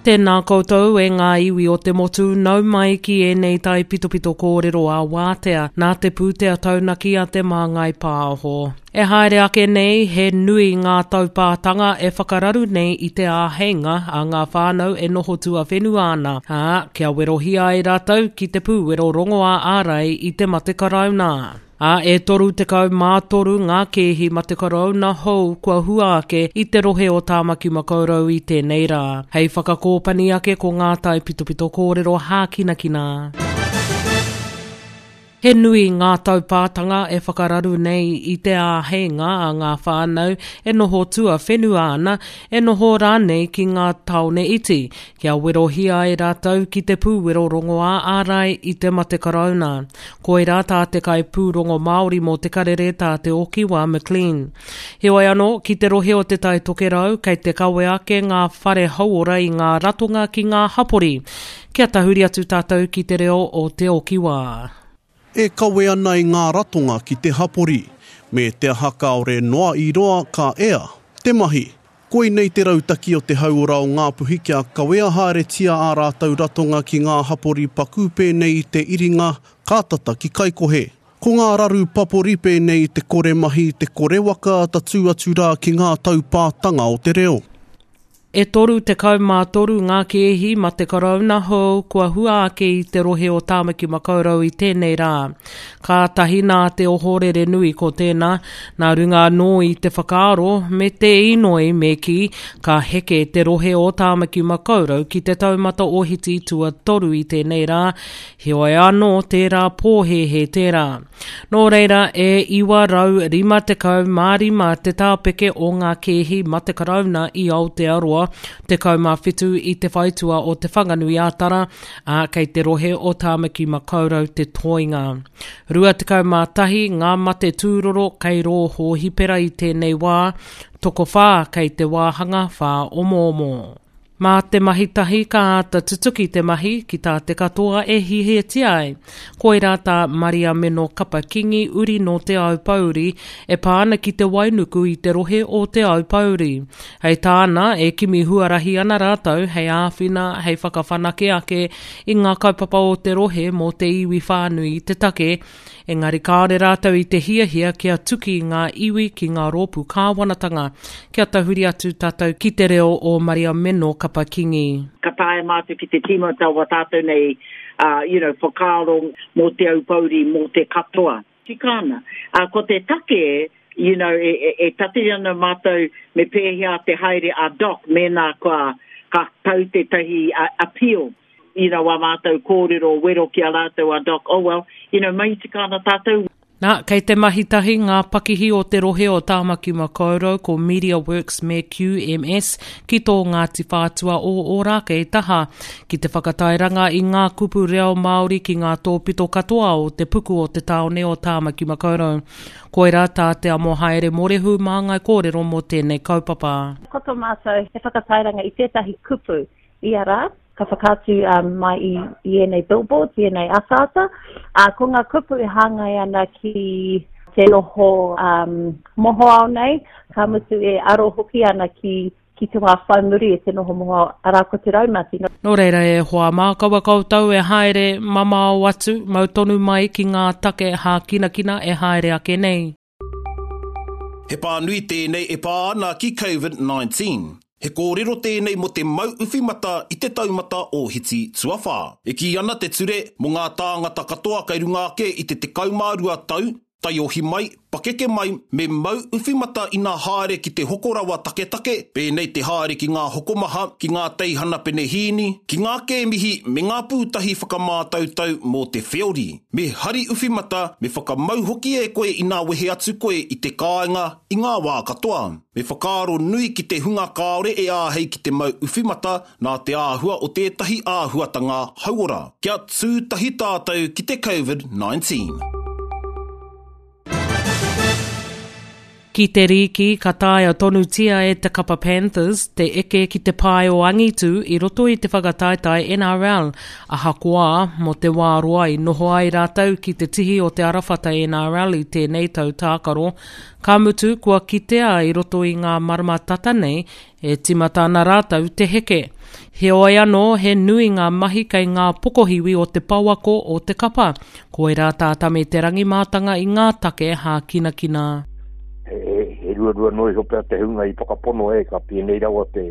Tēnā koutou e ngā iwi o te motu, nau mai ki ēnei taipitopito kōrero ā-wātea nā te pūtea taunaki a Te Māngai Pāho. E haere ake nei, he nui ngā taupātanga e whakararu nei i te āheinga a ngā whānau e noho tuawhenua ana, ā, kia werohia ai rātou ki te pūwero rongoā ārai i te mate karauna. Ā, e 33 ngā kēhi mate karauna hou kua hua ake i te rohe o Tāmaki Makaurau i tēnei rā. Hei whakakōpani ake ko ngā taipitopito kōrero hākinakina. He nui ngā taupātanga e whakararu nei i te āheinga a ngā whānau e noho tuawhenua ana, e noho rānei ki ngā tāone iti, kia werohia ai rātou ki te pūwero rongoā ārai i te mate karauna. Koirā tā te kaipūrongo Māori mō Te Karere tā Te Okiwa McLean. Heoi anō, ki te rohe o Te Tai Tokerau, kei te kawe ake ngā whare hauora i ngā ratonga ki ngā hapori. Kia tahuri atu tātou ki te reo o Te Okiwa. E kawe ana i ngā ratonga ki te hapori, me te aha kāore noa i roa ka ea te mahi. Koinei te rautaki o te hauora o Ngāpuhi kia kawea haeretia ā rātou ratonga ki ngā hapori paku pēnei i te iringa ka tata ki Kaikohe. Ko ngā raru papori pēnei i te kore mahi, te kore waka tatū atu rā ki ngā taupātanga o te reo. E 33 ngā kēhi mate karauna hou kua hua ake i te rohe o Tāmaki Makaurau i tēnei rā. Kātahi nā te ohorere nui ko tēnā, nā runga anō i te whakaaro me te inoi me kī, ka heke te rohe o Tāmaki Makaurau ki te taumata ohiti tuatoru i tēnei rā, heoi anō tērā pōhēhē tērā. Nō reira, e 955 te tāpeke o ngā kēhi mate karauna i Aotearoa, 17 i te whaitua o Te Whanganui-a-Tara, ā, kei te rohe o Tāmaki Makaurau te toenga. 21 ngā mate tūroro kei rō hōhipera i tēnei wā, tokowhā kei te wāhanga whāomoomo. Mā te mahi tahi ka āta tutuki te mahi ki tā te katoa e hiahiatia ai. Koirā tā Mariameno Kapa Kingi uri nō Te Aupōuri e pā ana ki te wainuku i te rohe o Te Aupōuri. Hei tāna, e kimi huarahi ana rātou hei āwhina, hei whakawhanake ake i ngā kaupapa o te rohe mō te iwi whānui te take, Engari kāore rātou i te hiahia kia tuki ngā iwi ki ngā rōpū kāwanatanga. Kia tahuri atu tātou ki te reo o Mariameno Kapa Kingi. Ka taea mātou ki te tīmata wa tātou nei you know, whakaaro mō Te Aupōuri, mō te katoa. Tika ana. Ko te take, you know, e, e, e tatari ana mātou me pēhea te haere a Doc mēnā kua, ka tau tētahi appeal you know, wā mātou kōrero wero ki a rātou a Doc, oh well, you know, mahi tika ana tātou. Nā, kei te mahi tahi ngā pakihi o te rohe o Tāmaki Makaurau ko MediaWorks me QMS ki tō Ngāti Whātua o Ōrākei taha ki te whakatairanga i ngā kupu reo Māori ki ngā tōpito katoa o te puku o te tāone o Tāmaki Makaurau. Koirā tā Te Amohaere Morehu māngai kōrero mō tēnei kaupapa. Ko tō mātou he whakatairanga i tētahi kupu ia rā, ka whakaatu mai i, i ēnei billboards, i ēnei ataata. Ā, ko ngā kupu e hāngai ana ki te noho um, mohoao nei, ka mutu e aro hoki ana ki, ki te wā whai muri e te noho mohoao, arā ko te raumati. Nō reira e hoa mā, kaua koutou e haere mamao atu, mau tonu mai ki ngā take hākinakina e haere ake nei. He pānui tēnei e pā ana ki Covid 19. He kōrero tēnei mō te mau uwhi mata i te taumata ōhiti tuawhā. E kī ana te ture mō ngā tāngata katoa kei runga ake i te 12 tau, taiohi mai, pakeke mai, me mau uwhi mata ina haere ki te hoko rawa taketake, pēnei te haere ki ngā hokomaha, ki ngā teihana penehīni, ki ngā kēmihi me ngā pūtahi whakamātautau mō te wheori. Me hari uwhi mata, me whakamau hoki e koe inā wehe atu koe i te kāinga i ngā wā katoa. Me whakaaro nui ki te hunga kāore e āhei ki te mau uwhi mata nā te āhua o tētahi āhuatanga hauora. Kia tū tahi tātou ki te Covid 19. Ki te rīki, ka taea tonutia e te kapa Panthers te eke ki te pae o angitu i roto i te whakataetae NRL, ahakoā, mō te wā roa i noho ai rātou ki te tihi o te arawhata NRL i tēnei tau tākaro, ka mutu kua kitea i roto i ngā marama tata nei E tīmata ana rātou te heke. Heoi anō, he nui ngā mahi kei ngā pokohiwi o te pouako o te kapa. Koirā tā Tame Te Rangi mātanga i ngā take hākinakina. He ruarua noa iho pea te hunga i whakapono e ka pēnei rawa te,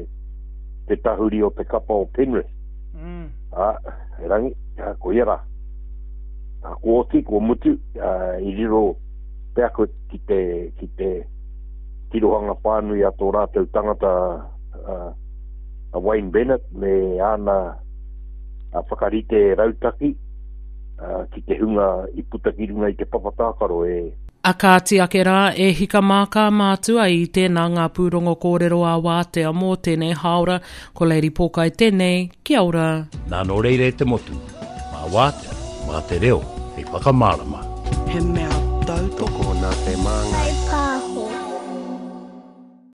te tahuri o te kapa o Penrith. Mm. Ā, erangi, koia rā. Ā, kua oti, kua mutu, ā, i riro pea koe ki te, ki te, tirohanga whānui a tō rātou tangata a Wayne Bennett me āna whakarite rautaki ki te hunga i puta ki runga i te papa tākaro e A kāti ake rā, e hika mā kā mātua i tēnā ngā pūrongo kōrero ā wātea mō tēnei hāora, ko Lady Pōkai tēnei, kia ora. Nā nō reira e te motu, mā wātea, mā te reo hei whakamārama. He mea tautoko. Tokona te māngai.